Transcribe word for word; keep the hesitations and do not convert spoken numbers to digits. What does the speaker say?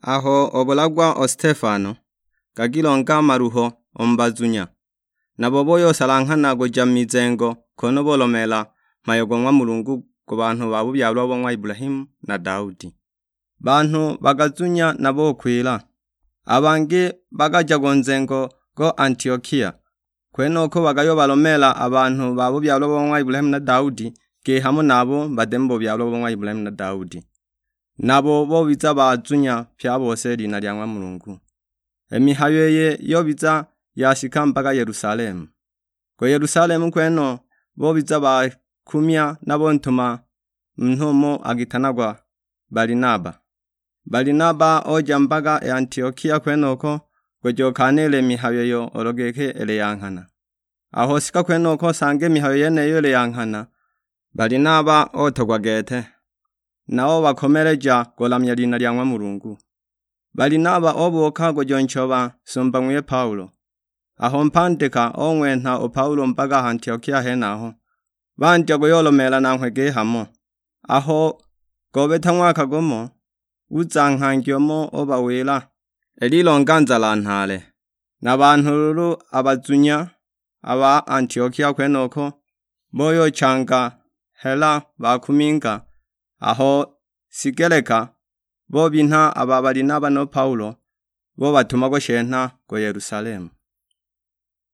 Aho obulagwa o Stefano, gakilonga maluho o mu bazunya, nabo boyosalanghana kuja mu mizengo, kono bolomeela mhayo go ng'wa Mulungu ku banhu ba bubyalwa bo ng'wa Ibulahimu na Daudi. Banhu bagazunya na bokwila, a bangi bagaja go nzengo go Antiokia. Kwenoko bagayobalomeela a banhu ba bubyalwa bo ng'wa Ibulahimu na Daudi, gihamo nabo bade mu bubyalwa bo ng'wa Ibulahimu na Daudi. Nabo bobiza bazunya pye a bose lina lya ng'wa Mulungu. I mihayo iyi yobiza yashika mpaka Yerusalemu. Ku Yerusalemu kweno bobiza bakumya na bontuma munhu umo akitanagwa Balinaba. Balinaba oja mpaka i Antiokia kwenoko, kujokanile mihayo iyo olo giki ili ya nghana. Aho sika kwenoko sange mihayo yeniyo ili ya nghana, Balinaba otogwa gete, na obakomeleja kulamya lina lya ng'wa Mulungu. Balinaba obuuka kujonchoba sumba ng'wiye Paulo. Aho mpandika ong'wenha u Paulo mpaka ha Antiokia henaho, bandya kuyolomeela nanghwe gihamo. Aho gobeta ng'waka gumo, uza nghangi umo ubawila, "Ililonga nzala nhaale." Na banhu lulu a bazunya a ba Antiokia kwenoko, boyochanga hela bakuminga. Aho sigeleka, bobinha a ba Balinaba no Paulo, bobatuma kushenha ku Yerusalemu.